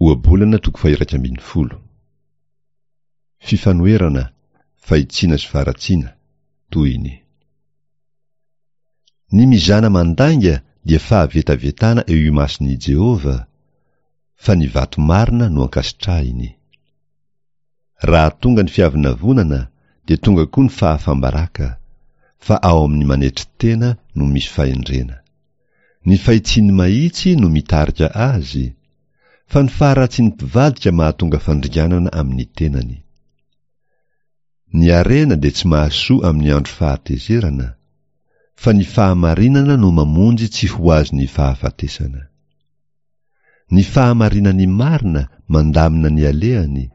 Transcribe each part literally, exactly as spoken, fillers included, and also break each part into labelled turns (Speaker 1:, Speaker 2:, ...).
Speaker 1: Ohabolana toko faha-iraika ambin'ny folo. Fifanoherana, fahitsiana sy faharatsiana, tohiny. Ny mizana mandainga dia fahavetavetana eo imason'i Jehovah, fa ny vato marina no ankasitrahiny. Raha tonga ny fiavonavonana dia tonga koa ny fahafam-baraka, fa ao amin'ny manetry tena no misy fahendrena. Ny fahitsian'ny mahitsy no mitarika azy, fa ny faharatsian'ny mpivadika mahatonga fandringanana amin'ny tenany. Ny harena dia tsy mahasoa amin'ny andro fahatezerana, fa ny fahamarinana no mamonjy tsy ho azon'ny fahafatesana. Ny fahamarinan'ny marina mandamina ny alehany,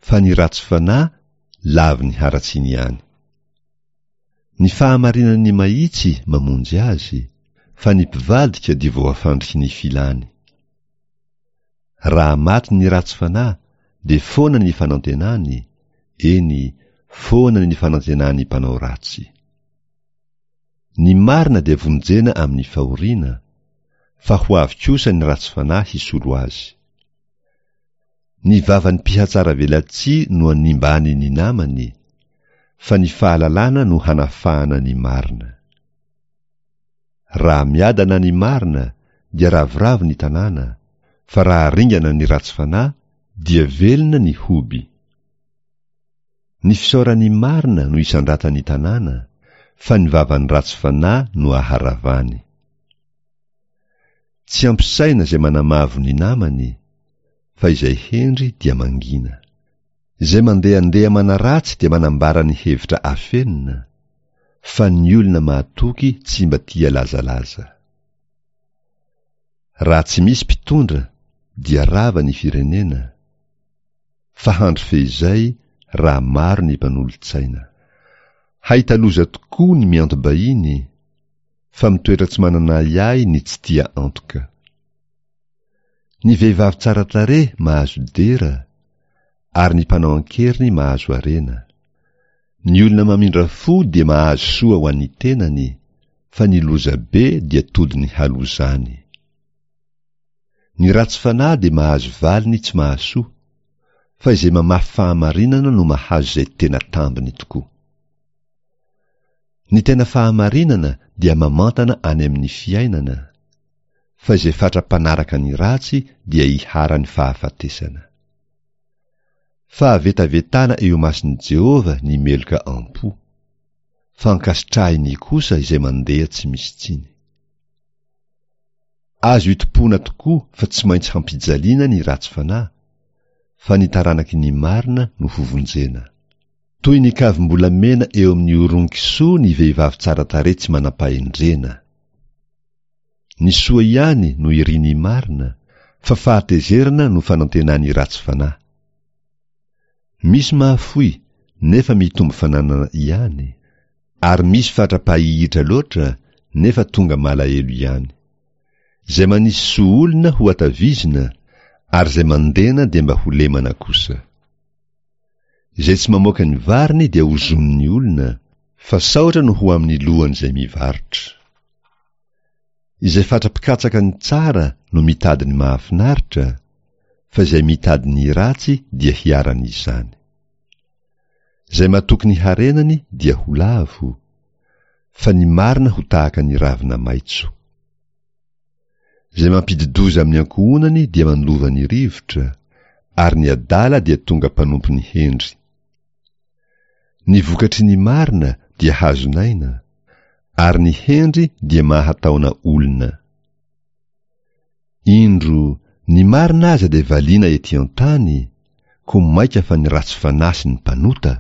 Speaker 1: fa ny ratsy fanahy lavin'ny haratsiany ihany. Ny fahamarinan'ny mahitsy mamonjy azy, fa ny mpivadika dia voafandriky ny filany. Raha maty ny ratsy fanahy dia foana ny fanantenany, eny, foana ny fanantenan'ny mpanao ratsy. Ny marina dia vonjena amin'ny fahoriana, fa ho avy kosa ny ratsy fanahy hisolo azy. Ny vavan'ny mpihatsaravelatsihy no animbany ny namany, fa ny fahalalana no hanafahana ny marina. Raha miadana ny marina dia ravoravo ny tanàna, fa raha ringana ny ratsy fanahy dia velona ny hoby. Ny fisaoran'ny marina no isandratan'ny tanàna, fa ny vavan'ny ratsy fanahy no aharavany. Tsy ampy saina izay manamavo ny namany, fa izay hendry dia mangina. Izay mandehandeha manaratsy dia manambara ny hevitra afenina, fa ny olona mahatoky tsy mba tia lazalaza. Raha tsy misy mpitondra dia rava ny firenena, fa handry fehizay raha maro ny mpanolotsaina. Hahita loza tokoa ny mianto-bahiny, fa mitoetra tsy manana ahiahy ny tsy tia antoka. Ny vehivavy tsara tarehy mahazo dera, ary ny mpanao an-keriny mahazo harena. Ny olona mamindra fo dia mahazo soa ho an'ny tenany, fa ny lozabe dia todin'ny halozany. Ny ratsy fanahy dia mahazo valiny tsy mahasoa, fa izay mamafy fahamarinana no mahazo izay tena tambiny tokoa. Ny tena fahamarinana dia mamantana any amin'ny fiainana, fa izay fatra-panaraka ny ratsy dia iharan'ny fahafatesana. Fahavetavetana eo imason'i Jehovah ny meloka am-po, fa ankasitrahiny kosa izay mandeha tsy misy tsiny. Azo itompoana tokoa fa tsy maintsy hampijaliana ny ratsy fanahy, fa ny taranaky ny marina no hovonjena. Toy ny kavim-bolamena eo amin'ny oron-kisoa ny vehivavy tsara tarehy tsy manam-pahendrena. Ny soa ihany no irin'ny marina, fa fahatezerana no fanantenan'ny ratsy fanahy. Misy mahafoy nefa mitombo fananana ihany, ary misy fatra-pahihitra loatra nefa tonga malahelo ihany. Izay manisy soa olona ho atavizina, ary izay mandena dia mba ho lemana kosa. Izay tsy mamoaka ny variny dia ozonin'ny olona, fa saotra no ho amin'ny lohan'izay mivarotra. Izay fatra-pikatsaka ny tsara no mitady ny mahafinaritra, fa izay mitady ny ratsy dia hiharan'izany. Izay matoky ny harenany dia ho lavo, fa ny marina ho tahaka ny ravina maitso. Izay mampidi-doza amin'ny ankohonany dia mandova ny rivotra, ary ny adala dia tonga mpanompon'ny hendry. Ny vokatry ny marina dia hazon'aina, ary ny hendry dia mahataona olona. Indro, ny marina aza dia valiana ety an-tany, koa mainka fa ny ratsy fanahy sy ny mpanota.